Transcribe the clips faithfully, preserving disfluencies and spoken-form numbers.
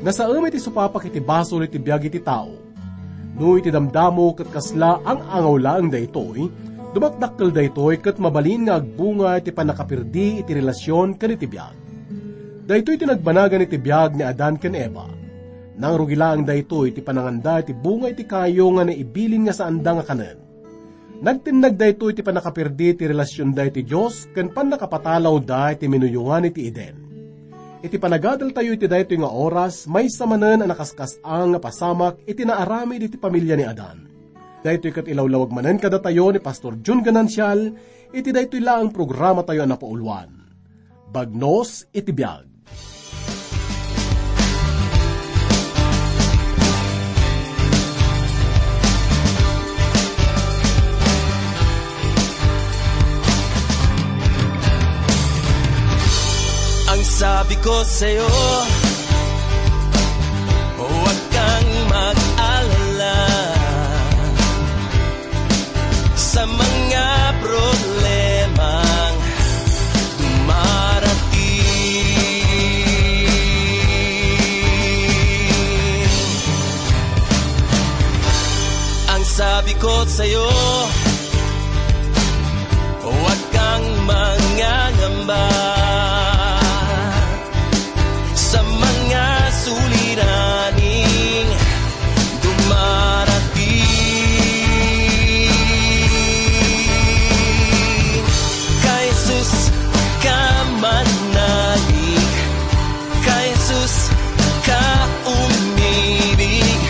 Nasaem iti supapak iti basol iti biag iti tao. No iti damdamo ket kasla ang-angaw laeng daytoy, dumakdakkel daytoy ket mabalin nga agbunga iti pannakapirdi iti relasion ken iti biag. Daytoy ti nagbanagan iti biag ni Adan ken Eva. Nangrugi laeng daytoy iti pananganda iti bunga iti kayo nga naibilin nga saanda nga kanen. Nagtennag daytoy iti pannakapirdi ti relasionda iti Dios ken pannakapatalawda iti minuyongan iti Eden. Iti panagadaltayo iti daytoy nga oras, maysa manen a nakaskas-ang nga pasamak iti naaramid iti pamilya ni Adan. Daytoy ket ilawlawag manen kadatayo ni Pastor Jun Ganancial iti daytoy laeng programatayo a napauluan. Bagnos iti biag. Ang sabi ko sa'yo, huwag kang mag-alala sa mga problemang dumarating. Ang sabi ko sa'yo, huwag kang mangangamba sa mga suliraning dumarating. Kay Jesus ka manalig, kay Jesus ka umibig,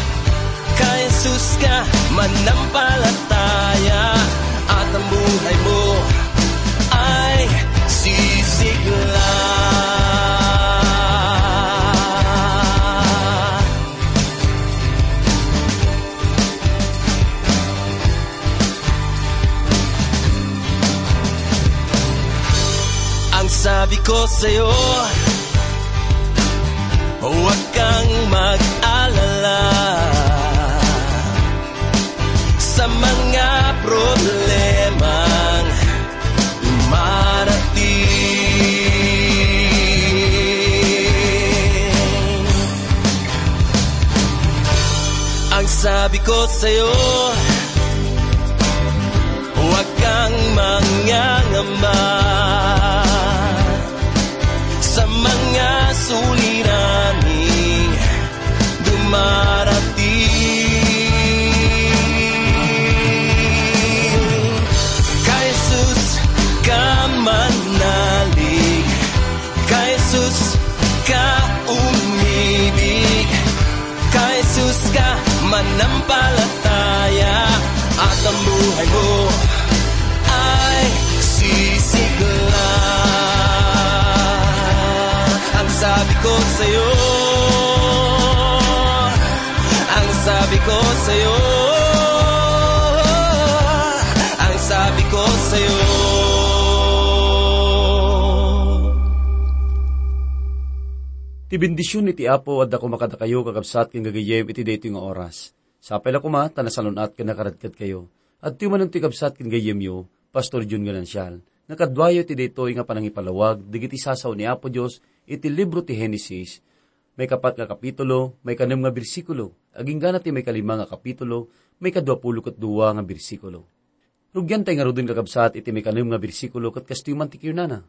kay Jesus ka manampalataya, at ang buhay mo ay sisigla. Ang sabi ko sa'yo, huwag kang mag-alala sa mga problemang dumarating. Ang sabi ko sa'yo, huwag kang mangangamba sa mga suliraning dumarating. Kay Jesus ka manalig, kay Jesus ka umibig, kay Jesus ka manampalataya, at ang buhay mo ay sisigla. Ang sabi ko sa'yo, ang sabi ko sa'yo, ang sabi ko sa'yo. Ti bendision iti Apo adda koma kadakayo, kakabsat ken gagayyem, iti daytoy nga oras. Sapay la koma ta nasalun-at ken nakaradkadkayo. Adtoy manen ti kabsat ken gayyemyo, Pastor Jun Ganancial, nga kaduayo iti daytoy nga panangipalawag dagiti sasao ni Apo Dios iti libro ti Genesis, maikapat nga kapitulo, maikanem nga bersikulo, agingga na ti maikalima nga kapitulo, maikadua pulo ket dua nga bersikulo. Rugiantay ngaruden, kakabsat, iti maikanem nga bersikulo ket kastoy man ti kinunana,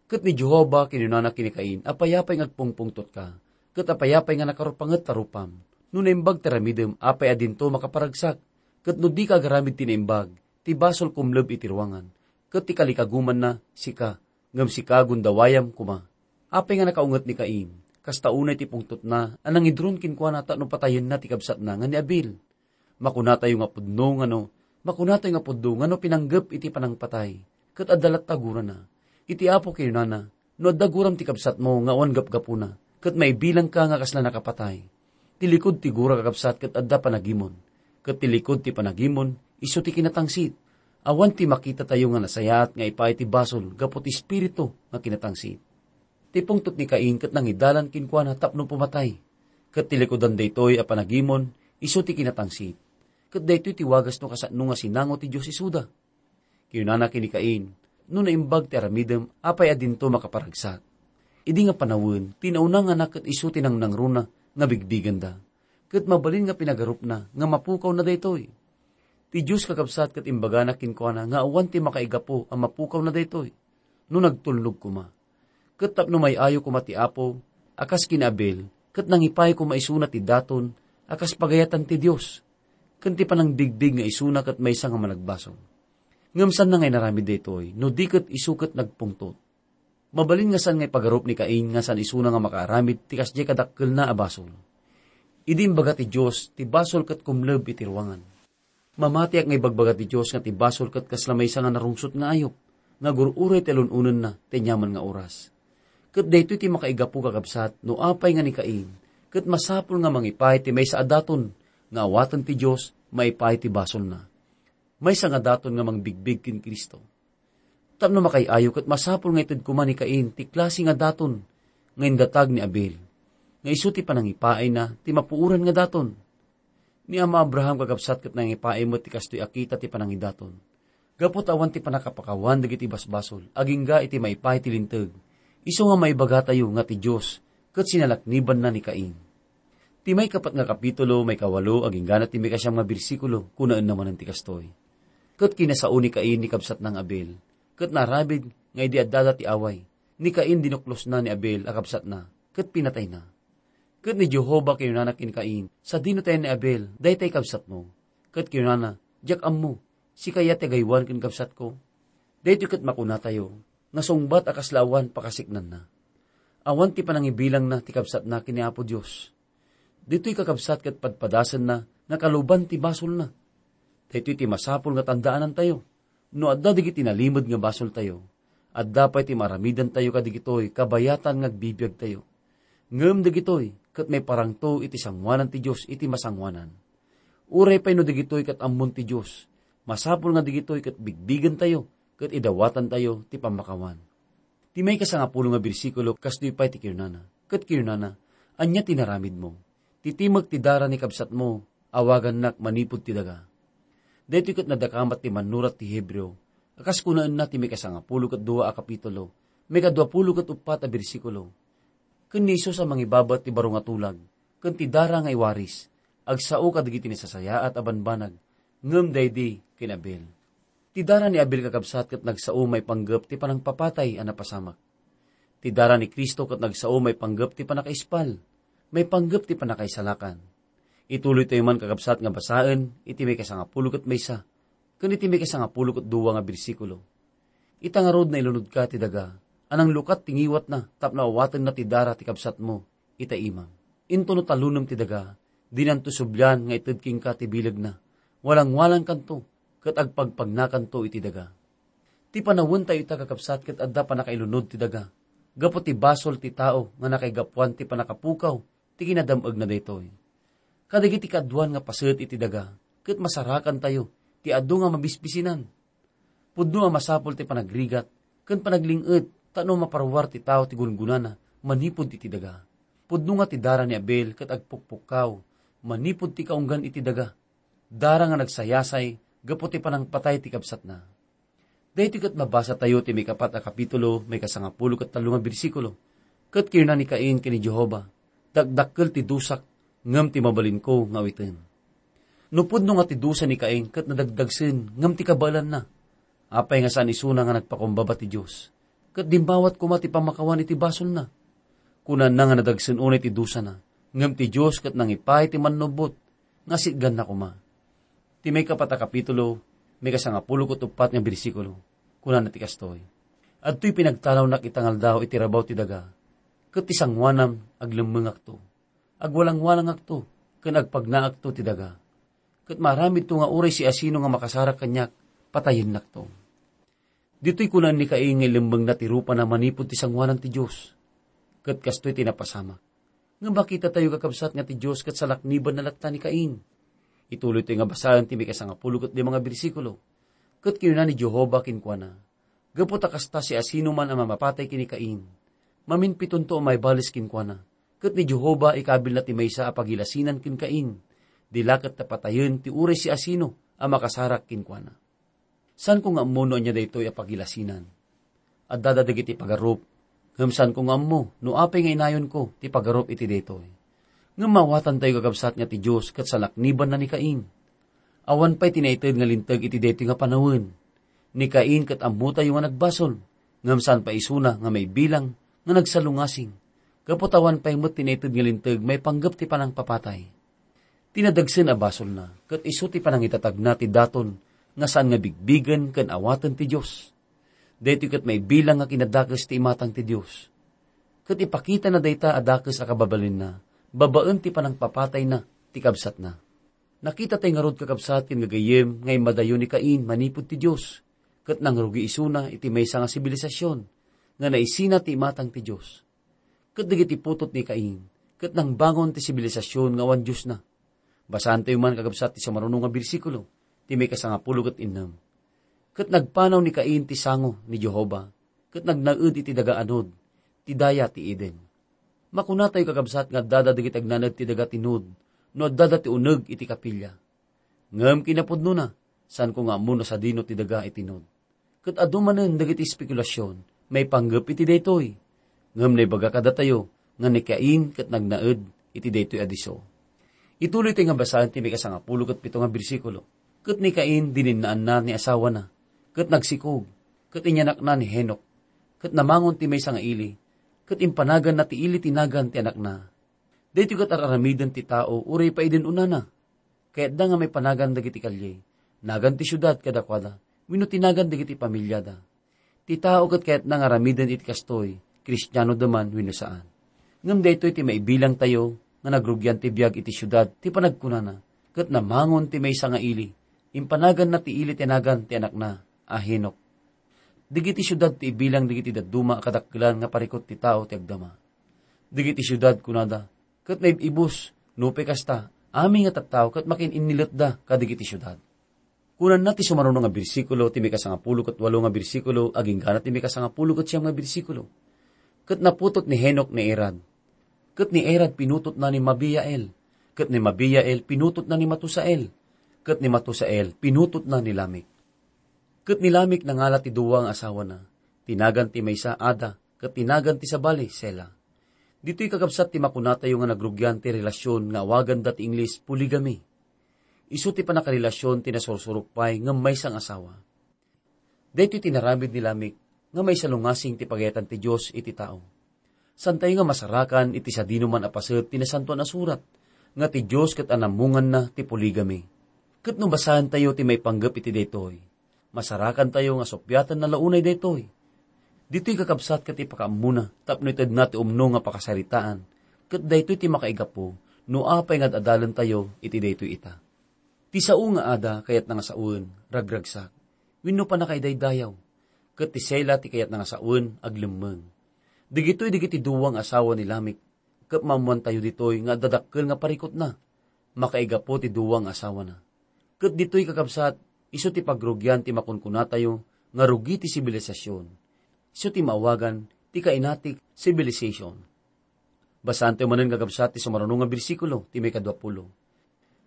"Ket ni Jehovah kinunana ken ni Cain, 'Apay-apay nga agpungpungtotka, ket apay-apay nga nakarupanget ta rupam? No naimbag ti aramidem, apay a dinto makaparagsak? Ket no dika agaramid ti naimbag, ti basol kumleb iti ruangan, ket ti kalikagumanna, sika, ngem sika, gundawayam koma.'" Apay nga nakaunget ni Cain? Kasta unay ti pungtotna a nangidron kenkuana tapno patayenna ti kabsatna nga ni Abel. Makunatayo nga pudno ngano, makunatayo nga pudno ngano pinanggep iti panangpatay, ket adda latta gurana. Iti Apo kinunana, "No adda guram ti kabsatmo nga awan gapgapuna, ket maibilangka nga kasla nakapatay." Ti likud ti gura, kakabsat, ket adda panagimon, ket ti likud ti panagimon, isu ti kinatangsit. Awan ti makitatayo nga nasayaat nga ipaay ti basol gapu ti espiritu nga kinatangsit. Ti pungtot ni Cain ket nangidalan kenkuana tapno pumatay. Ket ti likudan daytoy a panagimon, isu ti kinatangsit. Ket daytoy ti wagas no kasano nga sinango ti Dios isuda. Kinunana ken ni Cain, "No naimbag ti aramidem, apay a dinto makaparagsak?" Idi nga panawen, ti naunangana ket isu ti nangnangruna nga bigbigenda. Ket mabalin nga pinagarupna nga mapukawna daytoy. Ti Dios, kakabsat, ket imbagana kenkuana nga awan ti makaigapu a mapukawna daytoy no nagtulnog koma. Ket tapno may-ayo koma ti Apo a kas ken ni Abel, ket nangipay koma isuna ti daton a kas pagayatan ti Dios, ken ti panangbigbig nga isuna ket maysa nga managbasol. Ngem saanna nga inaramid daytoy no di ket isu ket nagpungtot. Mabalin nga saan nga ipagarup ni Cain nga saan isuna nga makaaramid ti kasdiay kadakkelna a basol. Idi imbaga ti Dios, ti basol ket kumleb iti ruangan. Mamatiak nga ibagbaga ti Dios nga ti basol ket kasla maysa nga narungsot nga ayup, nga agur-uray ti alun-onenna ti aniaman nga oras. Ket daytoy ti makaigapu, kakabsat, no apay nga ni Cain, ket masapul nga mangipay ti maysa a daton nga awaten ti Dios maipaay ti basolna. Maysa nga daton nga mangbigbig ken Cristo. Tapno makaay-ayo ket masapul nga ited koma ni Cain ti klase nga daton nga indatag ni Abel, nga isu ti panangipaayna ti mapuoran nga daton. Ni Ama Abraham, kakabsat, ket nangipaay met ti kastoy a kita ti panangidaton. Gapu ta awan ti pannakapakawan dagiti basbasol, agingga iti maipaay ti Linteg, isu nga maibagatayo nga ti Dios ket sinalaknibanna ni Cain. Ti maikapat nga kapitulo, maikawalo, aginggana ti maikasiam nga bersikulo, kunaenna manen ti kastoy: Ket kinasao ni Cain ni kabsatna nga Abel, ket naaramid nga idi addada ti away, ni Cain dinuklosna ni Abel a kabsatna, ket pinatayna. Ket ni Jehovah kinunana ken Cain, "Sadino tayen ni Abel, daytay kabsatmo?" Ket kinunana, "Diak ammo, sika aya ti agaywan ken kabsatko?" Daytoy ket makunatayo nga sungbat a kasla awan pakasiknanna. Awan ti panangibilangna ti kabsatna ken ni Apo Dios. Ditoy, kakabsat, ket padpadasenna nga kaluban ti basolna. Daytoy ti masapul nga tandaanantayo. No adda dagiti nalimed nga basoltayo, adda pay ti maaramidantayo kadagitoy kabayatan nga agbibiagtayo. Ngem dagitoy ket maiparangto iti sangoanan ti Dios iti masangoanan. Uray pay no dagitoy ket ammon ti Dios, masapul nga dagitoy ket bigbigentayo ket idawatantayo ti pammakawan. Ti maikasangapulo nga bersikulo, kastoy pay ti kinunana. Ket kinunana, "Ania ti inaramidmo? Ti timek ti dara ni kabsatmo, awagannak manipud ti daga." Daytoy ket nadakamat ti mannurat ti Hebreo, a kas kunaenna ti maikasangapulo ket dua a kapitulo, maikaduapulo ket uppat a bersikulo. Ken ni Jesus a mangibabat ti baro nga tulag, ken ti dara nga iwaris, agsao kadagiti nasasayaat a banbanag, ngem daydi ken Abel. Ti dara ni Abel, kakabsat, ket nagsao maipanggep ti panangpapatay a napasamak. Ti dara ni Cristo ket nagsao maipanggep ti pannakaispal, maipanggep ti pannakaisalakan. Ituloytayo man, kakabsat, nga basaen iti maikasangapulo ket maysa ken iti maikasangapulo ket dua nga bersikulo. Ita ngarud, nailunodka ti daga a nanglukat ti ngiwatna tapno awatenna ti dara ti kabsatmo ita imam. Intono talonem ti daga, dinanto sublian nga ited kenka ti bilegna. Walangwalangkanto ket agpagpagnakanto iti daga. Ti panawentayo ita, kakabsat, ket adda pannakailunod ti daga gapu ti basol ti tao nga nakaigapuan ti pannakapukaw ti kinadam-egna daytoy. Kadagiti kaaduan nga paset iti daga, ket masarakantayo ti adu nga mabisbisinan. Pudno a masapul ti panagrigat ken panagling-et tapno maparuar ti tao ti gungunana manipud iti daga. Pudno nga ti dara ni Abel ket agpukpukkaw manipud ti kaunggan iti daga. Dara nga nagsayasay gapu ti panangpatay ti kabsatna. Daytoy ket mabasatayo ti maikapat a kapitulo, maikasangapulo ket tallo nga bersikulo. Ket kinuna ni Cain ken ni Jehovah, "Dakdakkel ti dusak, ngem ti mabalinko nga awiten." No pudno nga ti dusa ni Cain ket nadagdagsen ngem ti kabaelanna, apay nga saan isuna nga nagpakumbaba ti Dios, ket dimmawat koma ti pammakawan iti basolna? Kunana nga nadagsen unay ti dusana, ngem ti Dios ket nangipaay ti mannubbot nga sitganna koma. Ti maikapat a kapitulo, maikasangapulo ket uppat nga bersikulo, kunana ti kastoy: "Adtoy pinagtalawnak ita nga aldaw iti rabaw ti daga, ket ti sangoanam, aglemmengakto, agwalangwalangakto, ken agpagnaakto ti daga. Ket maaramidto nga uray siasino nga makasarak kaniak, patayennakto." Ditoy kunaen ni Cain nga ilemmengna ti rupana manipud ti sangoanan ti Dios. Ket kastoy ti napasamak. Ngem makitatayo, kakabsat, nga ti Dios ket salaknibanna latta ni Cain. Ituloytayo nga basaen ti maikasangapulo ket lima nga bersikulo. Ket kinuna ni Jehovah kenkuana, "Gapu ta kasta, siasinoman a mamapatay ken ni Cain, maminpitonto a maibales kenkuana." Ket ni Jehovah ikabilna ti maysa a pagilasinan ken Cain, di la ket ta patayen ti uray siasino a makasarak kenkuana. Saanko nga ammo no ania daytoy a pagilasinan. Addada dagiti pagarup, ngem saanko nga ammo no apay nga inayonko ti pagarup iti daytoy. Ngem maawatantayo, kakabsat, nga ti Dios ket salaknibanna ni Cain. Awan pay ti naited nga linteg iti daytoy nga panawen. Ni Cain ket ammotayo nga nagbasol, ngem saan pay isuna nga maibilang nga nagsalungasing, gapu ta awan pay met ti naited nga linteg maipanggep ti panangpapatay. Ti nadagsen a basolna ket isu ti panangitatagna ti daton nga saan nga bigbigen ken awaten ti Dios. Daytoy ket maibilang nga kinadakes ti imatang ti Dios. Ket ipakitana dayta a dakes a kababalinna babaen ti panangpapatayna ti kabsatna. Nakitatay ngarud, kakabsat ken gagayyem, nga immadayo ni Cain manipud ti Dios, ket nangrugi isuna iti maysa nga sibilisasyon nga naisina ti imatang ti Dios. Ket dagiti putot ni Cain ket nangbangon ti sibilisasyon nga awan Diosna. Basaantayo man, kakabsat, ti sumaruno nga bersikulo, ti maikasangapulo ket innem. Ket nagpanaw ni Cain ti sango ni Jehovah, ket nagnaed iti daga a Nod, ti daya ti Eden. Makunatayo, kakabsat, nga addada dagiti agnanaed ti daga ti Nod no addada ti uneg iti kapilya. Ngem kinapudnona, saanko nga ammo no sadino ti daga iti Nod. Ket adu manen dagiti espekulasion maipanggep iti daytoy. Ngem naibaga kadatayo nga ni Cain ket nagnaed iti daytoy a disso. Ituloytayo nga basaen ti maikasangapulo ket pito nga bersikulo. Ket ni Cain dininnaanna ni asawana, ket nagsikog, ket inyanakna ni Henok, ket namangon ti maysa nga ili, ket impanaganna ti ili ti nagan ti anakna. Daytoy ket ar-aramiden ti tao uray pay idi unana. Kayatda nga maipanagan dagiti kalye, nagan ti siudad kadakuada, wenno ti nagan dagiti pamiliada. Ti tao ket kayatna nga aramiden iti kastoy, Kristianoda man wenno saan. Ngem daytoy ti maibilangtayo nga nagrugian ti biag iti siudad ti panagkunana, ket namangon ti maysa nga ili, impanaganna ti ili ti nagan ti anakna a Henok. Dagiti siudad ti ibilang dagiti dadduma a kadakkelan nga parikut ti tao ti agdama. Dagiti siudad, kunada, ket naib-ibus, nupay kasta, amin nga tattao ket makin-inniletda kadagiti siudad. Kunana ti sumaruno nga bersikulo, ti maikasangapulo ket walo nga bersikulo, agingga ti maikasangapulo ket siam nga bersikulo. Ket naputot ni Henok ni Irad. Ket ni Irad pinutotna ni Mabiael. Ket ni Mabiael pinutotna ni Matusael. Ket ni Matusael pinutotna ni Lamek. Ket ni Lamek nangala ti dua nga asawana. Ti nagan ti maysa, Ada, ket ti nagan ti sabali, Sela. Ditoy, kakabsat, ti makunatayo nga nagrugian ti relasyon nga awaganda ti Ingles polygamy. Isu ti pannakaralasyon ti nasursurok pay ngem maysa nga asawa. Daytoy ti inaramid ni Lamek nga maisalungasing ti pagayatan ti Dios iti tao. Saantayo nga masarakan iti sadinoman a paset ti Nasantoan a Surat nga ti Dios ket anammonganna ti polygamy. Ket no basaentayo ti maipanggep iti daytoy, masarakantayo nga suppiatenna la unay daytoy. Ditoy, kakabsat, ket ipakaammona tapno itedna ti umno nga pakasaritaan, ket daytoy ti makaigapu no apay nga ad-adalentayo iti daytoy ita. Ti sao nga Ada kayatna nga sawen, ragragsak, wenno pannakaidaydayaw, ket ti Sela ti kayatna nga sawen, aglemmeng. Dagitoy dagiti dua nga asawa ni Lamek, ket maammoantayo ditoy nga adda dakkel nga parikutna, makaigapu ti dua nga asawana. Ket ditoy, kakabsat, isu ti pagrugian ti makunkunatayo nga rugi ti sibilisasyon. Isu ti maawagan ti Cainitic civilization. Basaantayo manen, kakabsat, ti sumaruno nga bersikulo, ti maikadua pulo.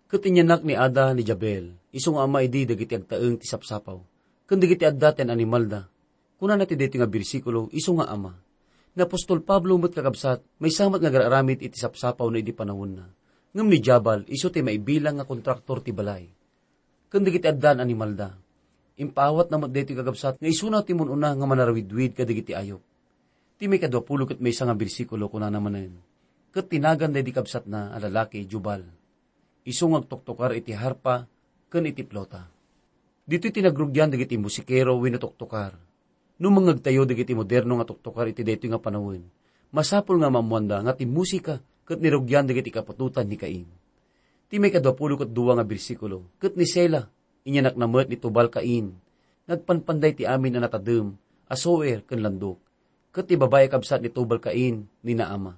Ket inyanak ni Ada ni Jabel, isu nga ama idi dagiti agtaeng ti sapsapaw, ken dagiti adda ti animalda. Kunana ti daytoy nga bersikulo, isu nga ama. Ni apostol Pablo met, kakabsat, maysa met nga agar-aramid iti sapsapaw no idi panawenna. Ngem ni Jabal, isu ti maibilang nga kontraktor ti balay. Ken dagiti addan animalda. Impaawatna met daytoy, kakabsat, nga isuna ti mun-una nga manarawidwid kadagiti ayup. Ti maikadua pulo ket maysa nga bersikulo, kunana manen, ket ti nagan daydi kabsatna a lalaki, Jubal. Isu nga agtuktokar iti harpa ken iti plota. Ditoy ti nagrugian dagiti musikero wenno tuktokar. No mangngegtayo dagiti moderno nga tuktokar iti daytoy nga panawen, masapul nga maammoanda nga ti musika ket nirugian dagiti kaputotan ni Cain. Ti maikadua pulo ket dua nga bersikulo, ket ni Sela, inyanakna met ni Tubal-Cain, nga agpanpanday ti amin a natadem a Zoar ken Landuk, ket ti babai a kabsat ni Tubal-Cain ni Naama.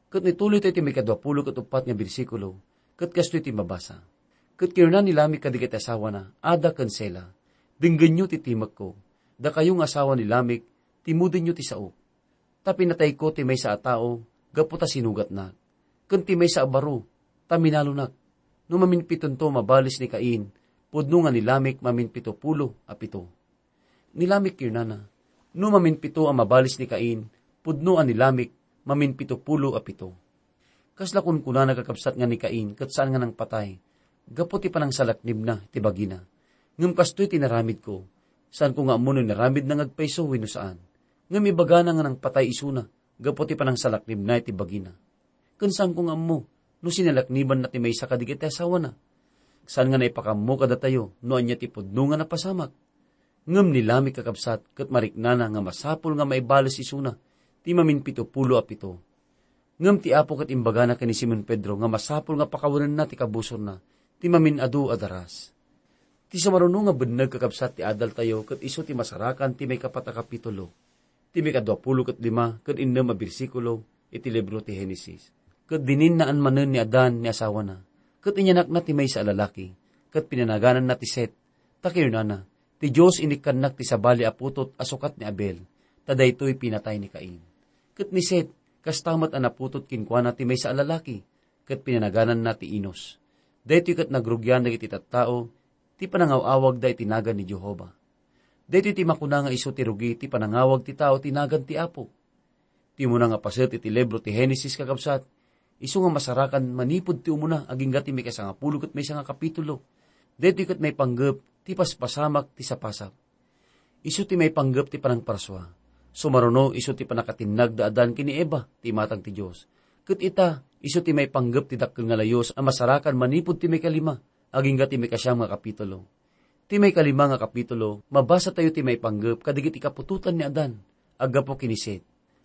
Ket nituloytayo ti maikadua pulo ket uppat nga bersikulo, ket kastoy ti mabasa, "Ket kinuna ni Lamek kadagiti asawana, Ada ken Sela, 'Denggenyo ti timekko, dakayo nga asawa ni Lamek, timudenyo ti saok. Ta pinatayko ti maysa a tao gapu ta sinugatnak, ken ti maysa a baro ta minalonak.' No maminpitonto a mabales ni Cain, pudno nga ni Lamek maminpito pulo a pito." Ni Lamek kinunana, "No maminpito a mabales ni Cain, pudno a ni Lamek maminpito pulo a pito." Kasla kunkunana, kakabsat, nga ni Cain ket saan nga nangpatay gapu ti panangsalaknibna ti bagina. Ngem kastoy ti naramidko. Saanko nga ammo no naramidna nga agpayso wenno saan. Ngem ibagana nga nangpatay isuna gapu ti panangsalaknibna iti bagina. Ken saanko nga ammo no sinalaknibanna ti maysa kadagiti asawana. Saan nga naipakammo kadatayo no ania ti pudno nga napasamak. Ngem ni Lamec, kakabsat, ket mariknana nga masapul nga maibales isuna ti maminpitopulo a pito. Ngem ti Apo ket imbagana ken ni Simon Pedro nga masapul nga pakawenenna ti kabusorna ti mamin-adu a daras. Ti sumaruno nga benneg, kakabsat, ti adaltayo ket isu ti masarakan ti maikapat a kapitulo, ti maikaduapulo ket lima ken innem a bersikulo iti libro ti Genesis. Ket dininnaan manen ni Adan ni asawana, ket inyanakna ti maysa a lalaki, ket pinanagananna ti Set, ta kinunana, "Ti Dios inikkannak ti sabali a putot a sukat ni Abel, ta daytoy pinatay ni Cain." Ket ni Set, kasta met a naputot kenkuana ti maysa a lalaki, ket pinanagananna ti Enos. Daytoy ket nagrugian dagiti tattao ti panangaw-awagda iti nagan ni Jehovah. Daytoy ti makuna nga isu ti rugi ti panangawag ti tao ti nagan ti Apo. Ti umuna nga paset iti libro ti Genesis, kakabsat, isu nga masarakan manipud ti umuna agingga ti maikasangapulo ket maysa nga kapitulo. Daytoy ket maipanggep ti paspasamak ti sapasap. Isu ti maipanggep ti panangparsua. Sumaruno, isu ti pannakatinnag da Adan ken ni Eva ti imatang ti Dios. Ket ita, isu ti maipanggep ti dakkel nga layus a masarakan manipud ti maikalima agingga ti maikasiam nga kapitulo. Ti maikalima nga kapitulo, mabasatayo ti maipanggep kadagiti kaputotan ni Adan a gapu ken ni Set.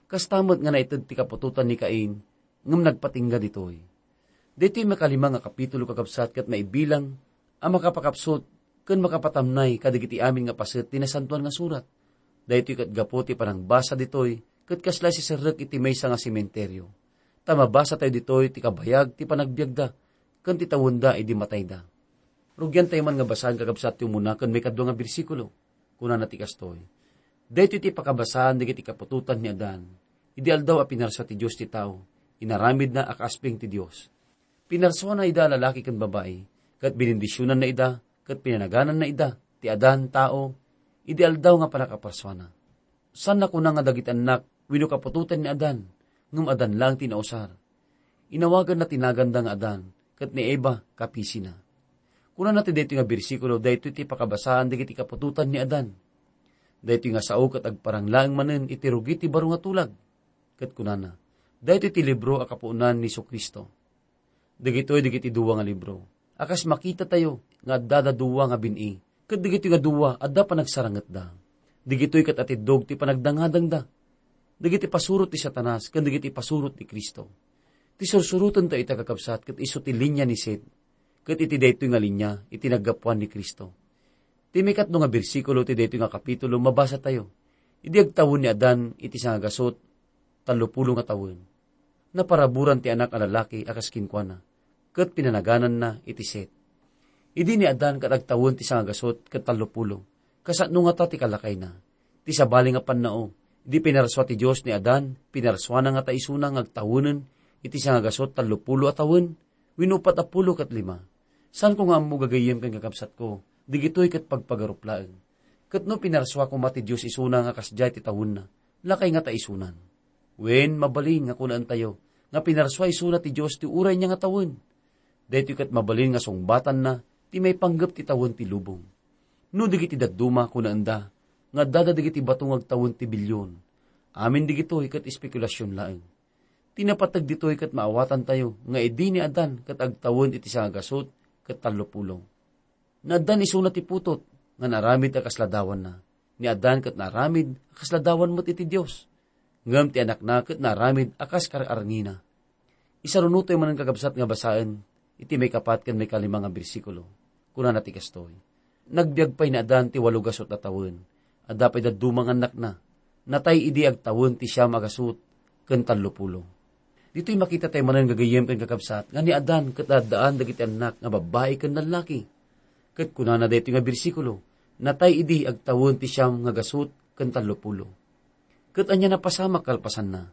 Kasta met nga naited ti kaputotan ni Cain, ngem nagpatingga ditoy. Daytoy maikalima nga kapitulo, kakabsat, ket maibilang a makapakapsut ken makapatamnay kadagiti amin nga paset ti Nasantoan nga Surat. Daytoy ket gapu ti panangbasa ditoy ket kasla siserrek iti maysa nga sementerio. Ta mabasatayo ditoy ti kabayag ti panagbiagda ken ti tawenda idi matayda. Rugiantayo man nga basaen, kakabsat, ti umuna ken maikadua nga bersikulo. Kunana ti kastoy, "Daytoy ti pakabasaan dagiti kaputotan ni Adan. Idi aldaw a pinarsua ti Dios ti tao, inaramidna a kaasping ti Dios. Pinarsuana ida a lalaki ken babai, ket binindisionanna ida, ket pinanagananna ida ti Adan, tao, idi aldaw nga pannakaparsuana." Saan a kuna nga dagiti annak wenno kaputotan ni Adan, ngem Adan laeng ti nausar. Inawaganna ti naganda nga Adan, ket ni Eva kapisina. Kunana ti daytoy nga bersikulo, daytoy ti pakabasaan dagiti kaputotan ni Adan. Daytoy nga sao ket agparang laeng manen iti rugi ti baro nga tulag. Ket kunana, daytoy ti libro a kapuonan ni Jesu-Cristo. Dagitoy dagiti dua nga libro a kas makitatayo nga addada dua nga bin-i, ket dagitoy nga dua adda panagsarangetda. Dagitoy ket atiddog ti panagdangadangda dagiti pasurot ti Satanas ken dagiti pasurot ti Cristo. Ti sursurotentayo ita, kakabsat, ket isu ti linia ni Set, ket iti daytoy nga linia iti naggapuan ni Cristo. Ti maikatlo nga bersikulo ti daytoy nga kapitulo, mabasatayo, "Idi agtawen ni Adan iti sangagasut tallopulo nga tawen, naparaburan ti anak a lalaki a kas kenkuana, ket pinanagananna iti Set." Idi ni Adan ket agtawen ti sangagasut ket tallopulo, kasano ngata ti kalakayna? Ti sabali nga pannao, idi pinarsua ti Dios ni Adan, pinarsuana ngata isuna nga agtawenen iti sangagasut tallopulo a tawen? Wenno upat a pulo ket lima. Saanko nga ammo, gagayyem ken kakabsatko, dagitoy ket pagpagarup laeng. Ket no pinarsua koma ti Dios isuna nga kasdiay ti tawenna, lakay ngata isunan. Wen, mabalin nga kunaentayo nga pinarsua isuna ti Dios ti uray nia nga tawen. Daytoy ket mabalin nga sungbatanna ti maipanggep ti tawen ti lubong. No dagiti dadduma, kunaenda, nga addada dagiti bato nga agtawen ti bilyon, amin dagitoy ket espekulasion laeng. Ti napateg ditoy ket maawatantayo nga idi ni Adan ket agtawen iti sangagasut ket tallopulo. Naaddan isuna ti putot nga naaramid a kas ladawanna. Ni Adan ket naaramid a kas ladawan met iti Dios. Ngem ti anakna ket naaramid a kas kar-arngina. Isarunotayo manen, kakabsat, nga basaen iti maikapat ken maikalima nga bersikulo. Kunana ti kastoy, "Nagbiag pay ni Adan ti walo gasut a tawen. Adda pay dadduma nga annakna. Natay idi agtawen ti siam a gasut ken tallopulo." Ditoy makitatayo manen, gagayyem ken kakabsat, nga ni Adan ket addaan dagiti annak nga babbai ken lallaki. Ket kunana daytoy nga bersikulo, "Natay idi agtawen ti siam nga gasut ken tallopulo." Ket ania napasamak kalpasanna?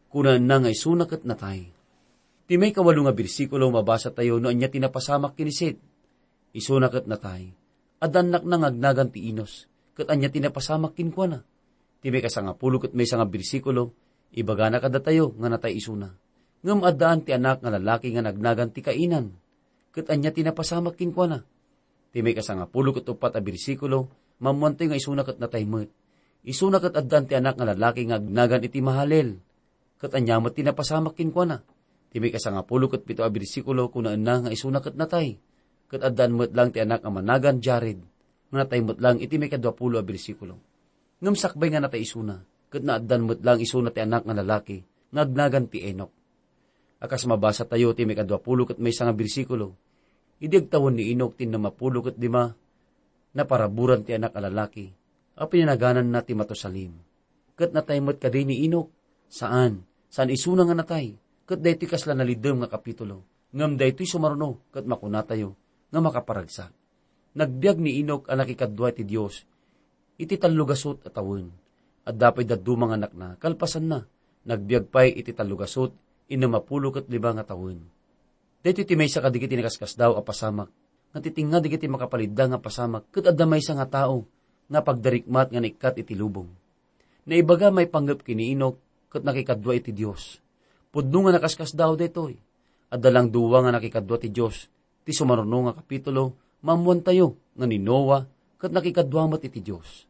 Kunaenna nga isuna ket natay. Ti maikawalo nga bersikulo, mabasatayo no ania ti napasamak ken ni Set. Isuna ket natay. Adda annakna nga agnagan ti Enos, ket ania ti napasamak kenkuana? Ti maikasangapulo ket maysa nga bersikulo, ibagana kadatayo nga natay isuna. Ngem addaan ti anak nga lalaki nga nagnagan ti Cainan. Ket ania ti napasamak kenkuana? Ti maikasangapulo ket uppat a bersikulo, maammoantayo nga isuna ket natay met. Isuna ket addaan ti anak nga lalaki nga agnagan iti Mahalel. Ket ania met ti napasamak kenkuana? Ti maikasangapulo ket pito a bersikulo, kunaenna nga isuna ket natay. Ket addaan met lang ti anak nga managan Jared, nga natay met lang iti maikadua pulo a bersikulo. Ngem sakbay nga natay isuna, ket naaddan met lang isuna ti anak nga lalaki, nga agnagan ti Enoc. A kas mabasatayo ti maikadua pulo ket maysa nga bersikulo, idi agtawen ni Enoc ti innem a pulo ket lima, naparaburan ti anak a lalaki, a pinanagananna ti Matusalem. Ket natay met kadi ni Enoc? Saan, saan isuna nga natay, ket daytoy kasla naliddem nga kapitulo. Ngem daytoy sumaruno ket makunatayo nga makaparagsak. Nagbiag ni Enoc a nakikadua iti Dios iti tallogasut a tawen. Adda pay dadduma nga anakna kalpasanna. Nagbiag pay iti tallogasut innem a pulo ket lima nga tawen. Daytoy ti maysa kadagiti nakaskasdaaw a pasamak nga titingnga dagiti makapalidda nga pasamak ket adda maysa nga tao nga pagdarikmat nga naikkat iti lubong. Naibaga maipanggep ken ni Enoc ket nakikadua iti Dios. Pudno nga nakaskasdaaw daytoy. Adda lang dua nga nakikadua ti Dios ti sumaruno nga kapitulo, maammoantayo nga ni Noa ket nakikadua met iti Dios.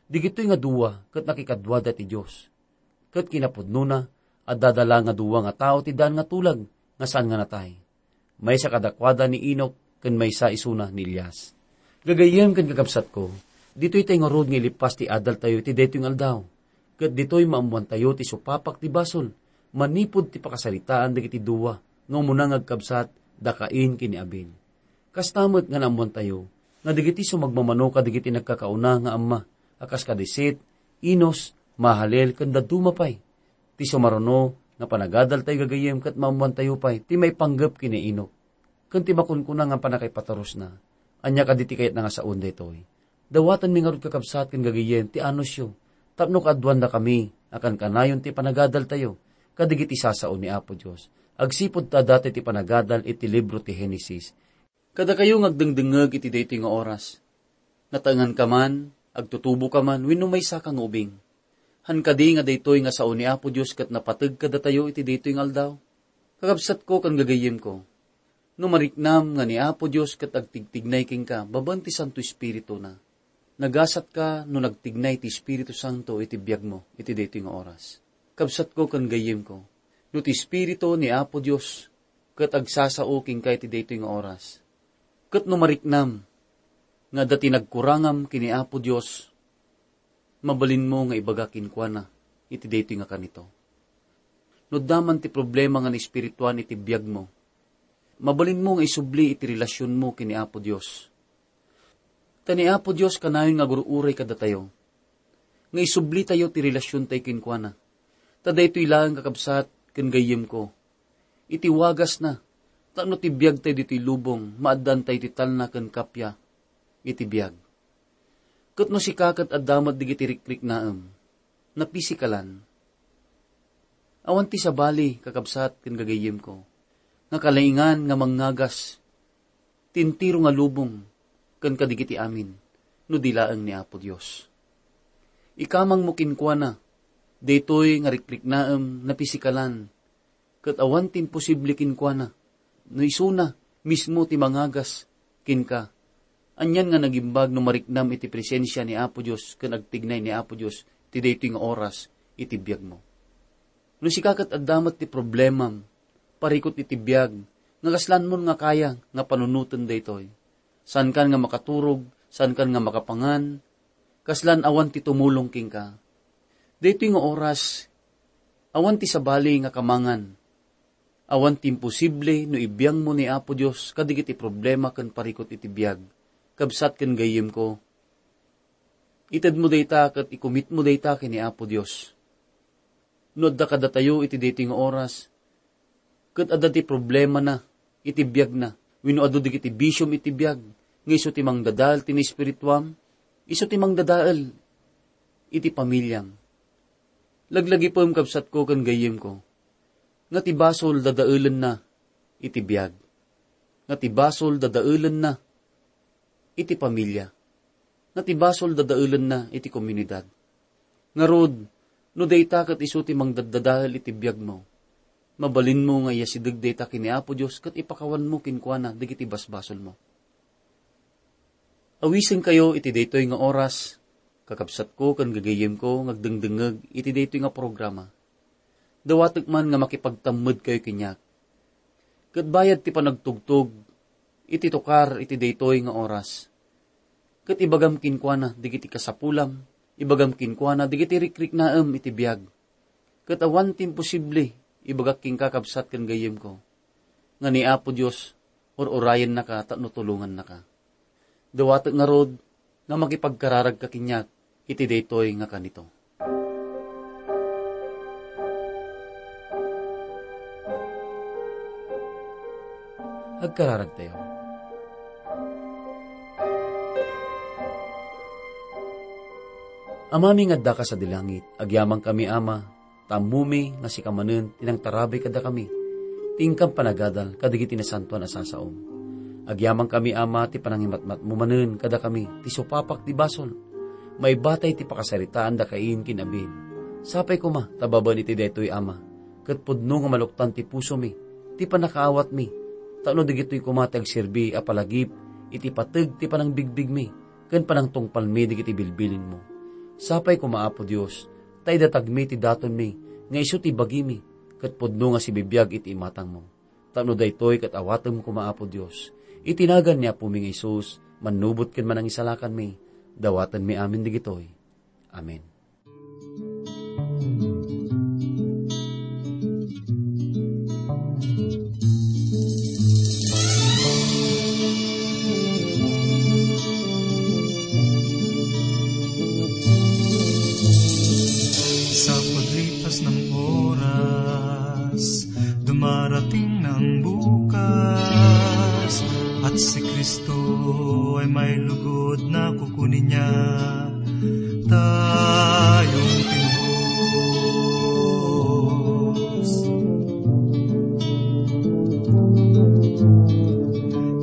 Digitoy nga dua ket nakikaduada ti Dios. Ket kinapudnona, adda dala nga dua nga tao ti daan nga tulag nga saan nga natay. Maysa kadakuada ni Enoc ken maysa isuna ni Elias. Gagayyem ken kakabsatko, ditoy tay ngarud nga ilipas ti adaltayo iti daytoy nga aldaw. Ket ditoy maammoantayo ti supapak ti basol manipud ti pakasaritaan dagiti dua nga umuna nga agkabsat, da Cain ken ni Abel. Kasta met nga naammoantayo nga dagiti sumagmamano kadagiti nagkakauna nga amma a kas kadi Set, Enos, Mahalalel, ken dadduma pay. Ti sumaruno nga panagadaltayo gagayyem ket maammoantayo pay ti maipanggep ken ni Enoc. Ken ti makunkuna nga pannakaipaturosna, ania kadi ti kayatna nga saon daytoy? Dawatenmi ngarud, kakabsat ken gagayyem, ti anusyo tapno kaaduandakami a kankanayon ti panagadaltayo kadagiti sasao ni Apo Dios, agsipud ta adda ti panagadal iti libro ti Genesis. Kadakayo nga agdengdengngeg iti daytoy nga oras, nataenganka man, agtutuboka man, wenno maysaka nga ubing, han kadi nga daytoy nga sao ni Apo Dios ket napateg kadatayo iti daytoy nga aldaw? Kakabsatko ken gagayyemko, no mariknam nga ni Apo Dios ket agtigtignay kenka babaen ti Santo Espirituna, nagasatka no nagtignay ti Espiritu Santo iti biagmo iti daytoy nga oras. Kabsatko ken gayyemko, no ti Espiritu ni Apo Dios ket agsasao kenka iti daytoy nga oras, ket no mariknam nga adda ti nagkurangam ken ni Apo Dios, mabalinmo nga ibaga kenkuana iti daytoy nga kanito. No adda man ti problema nga naespirituan iti biagmo, mabalinmo nga isubli iti relasionmo ken ni Apo Dios. Ta ni Apo Dios kanayon nga agur-uray kadatayo, nga isublitayo ti relasiontayo kenkuana. Ta daytoy laeng, kakabsat ken gayyemko, iti wagasna, tapno ti biagtayo ditoy lubong, maaddaantayo ti talna ken kappia iti biag. Ket no sika ket adda met dagiti rikriknaem, napisikalan, awan ti sabali, kakabsat ken gagayyemko, nga kalaingan nga mangngagas ti entero nga lubong ken kadagiti amin, no di laeng ni Apo Dios. Ikamangmo kenkuana daytoy nga rikriknaem napisikalan, ket awan ti imposible kenkuana, no isuna mismo ti mangagas kenka. Anian nga nagimbag no mariknam iti presensia ni Apo Dios ken agtignay ni Apo Dios ti daytoy nga oras iti biagmo. No sika ket adda met ti problemam, parikut iti biag, nga kaslanmon nga kaya nga panunoten daytoy. Saankan nga makaturog, saankan nga makapangan, kaslan awan ti tumulong kenka. Daytoy nga oras, awan ti sabali nga kamangan. Awan ti imposible no ibiangmo ni Apo Dios kadagiti problema ken parikut iti biag. Kabsat ken gayyemko, itedmo dayta ket ikumitmo dayta ken ni Apo Dios. No adda kadatayo iti daytoy nga oras, ket adda ti problemana iti biagna, wenno adu dagiti bisiom iti biag, nga isu ti mangdadael ti naespirituam, isu ti mangdadael iti pamiliam. Laglagipem, kabsatko ken gayyemko, nga ti basol dadaelenna iti biag, nga ti basol dadaelenna iti pamilia, nga ti basol dadaelenna iti komunidad. Ngarud, no dayta ket isu ti mangdaddadael iti biagmo, Mabalinmo nga iyasideg dayta ken ni Apo Dios ket ipakawanmo kenkuana dagiti basbasolmo. Awisenkayo iti daytoy nga oras, kakabsatko ken gagayyemko nga agdengdengngeg iti daytoy nga programa. Dawatek man nga makipagtammedkayo kaniak. Ket bayad ti panagtugtog iti tukar iti daytoy nga oras, ket ibagam kenkuana dagiti kasapulam, ibagam kenkuana dagiti rikriknaem iti biag. Ket awan ti imposible, ibagak kenka, kabsat ken gayyemko, nga ni Apo Dios ur-urayennaka tapno tulongannaka. Dawatek ngarud nga makipagkararagka kaniak iti daytoy nga kanito. Agkararagtayo. Amami nga addaka sadi langit, agyamankami, Ama, ta ammomi nga sika manen ti nangtarabay kadakami, ti inkam panagadal kadagiti nasantoan a sasaom. Agyamankami, Ama, ti panangimatmatmo manen kadakami ti supapak ti basol. Maibatay ti pakasaritaan da Cain ken Abel. Sapay koma ta babaen iti daytoy, Ama, ket pudno nga maluktan ti pusomi, ti pannakaawatmi, tapno dagitoy koma ti agserbi a palagip iti pateg ti panangbigbigmi ken panangtungpalmi dagiti bilbilinmo. Sapay koma, Apo Dios, ta idatagmi ti datonmi nga isu ti bagimi, ket pudno nga sibibiag iti imatangmo. Tapno daytoy ket awatem koma, Apo Dios, iti nagan ni Apomi nga Jesus, mannubot ken manangisalakanmi, dawatenmi amin dagitoy. Amen. Sa paglipas ng oras, dumarating na ang bukas, at si Kristo ay may lugod na kukunin niya tayong tinubos.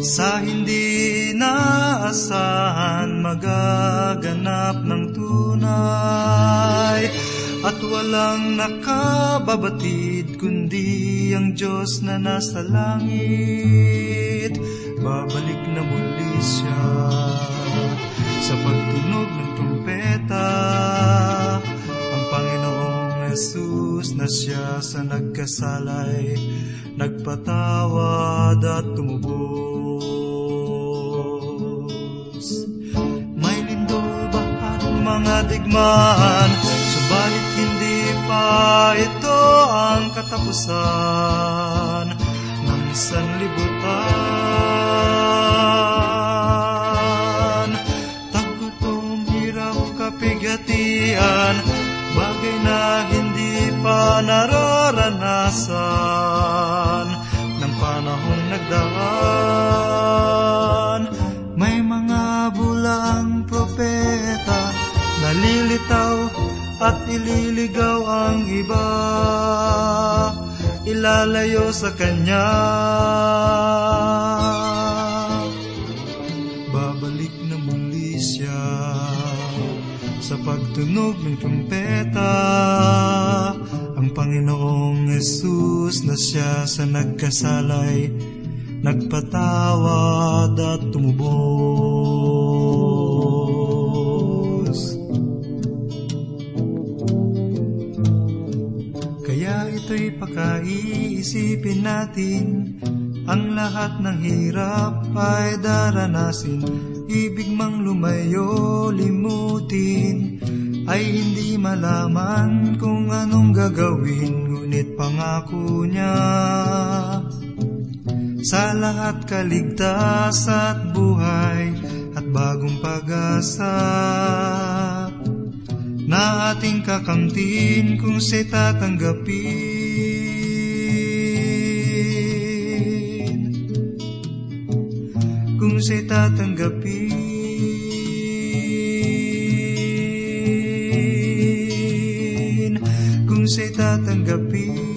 Sa hindi naasahan, magaganap ng tunay, at walang nakababatid kundi ang Diyos na nasa langit. Babalik na muli siya sa pagtunog ng trumpeta. Ang Panginoong Jesus na siya sa nagkasala'y nagpatawad at tumubos. May lindol ba at mga digmaan, subalit hindi pa ito ang katapusan ng sanlibutan. Taggutom, hirap, kapighatian, bagay na hindi pa nararanasan ng panahong nagdaan. May mga bulaang propeta, nalilitaw at ililigaw ang iba, ilalayo sa kanya. Babalik na muli siya sa pagtunog ng trumpeta. Ang Panginoong Jesus na siya sa nagkasala'y nagpatawad at tumubos. Kaya ito'y pakaiisipin natin, ang lahat ng hirap ay daranasin, ibig mang lumayo, limutin, ay hindi malaman kung anong gagawin, ngunit pangako niya sa lahat kaligtas at buhay at bagong pag-asa na ating kakamtin kung siya'y tatanggapin. Kung siya'y tatanggapin. Kung siya'y tatanggapin.